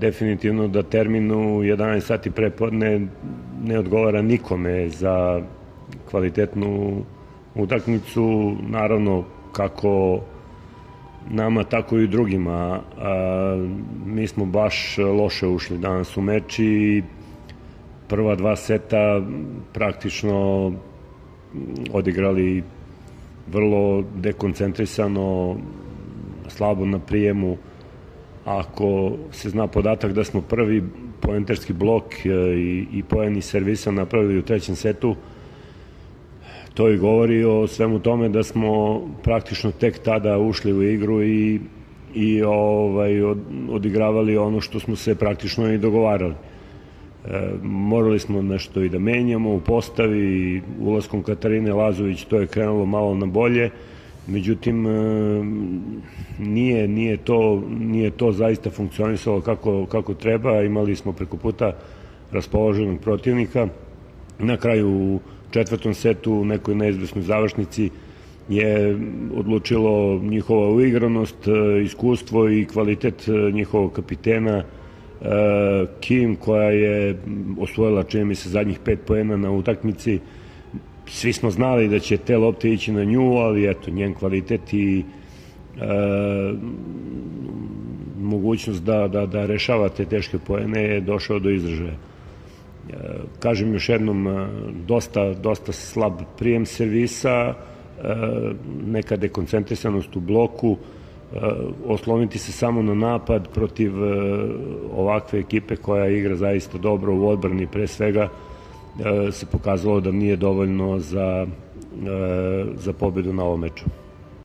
Definitivno da termin u 11 sati prepodne ne odgovara nikome za kvalitetnu utakmicu, naravno kako nama, tako i drugima. Mi smo baš loše ušli danas u meč i prva dva seta praktično odigrali vrlo dekoncentrisano, slabo na prijemu. Ako se zna podatak da smo prvi poenterski blok i poeni servisa napravili u trećem setu, to i govori o svemu tome da smo praktično tek tada ušli u igru i odigravali ono što smo se praktično i dogovarali. Morali smo nešto i da menjamo u postavi, ulaskom Katarine Lazović to je krenulo malo na bolje, međutim nije to zaista funkcionisalo kako treba. Imali smo preko puta raspoloženog protivnika. Na kraju u četvrtom setu u nekoj neizvesnoj završnici je odlučilo njihova uigranost, iskustvo i kvalitet njihovog kapitena Kim, koja je osvojila, čini mi se, zadnjih 5 poena na utakmici. Svi smo znali da će te lopte ići na nju, ali eto, njen kvalitet i mogućnost da rešava te teške poene je došao do izražaja. Kažem još jednom, dosta slab prijem servisa, neka dekoncentrisanost u bloku, osloniti se samo na napad protiv ovakve ekipe koja igra zaista dobro u odbrani pre svega, se pokazalo da nije dovoljno za pobedu na ovom meču.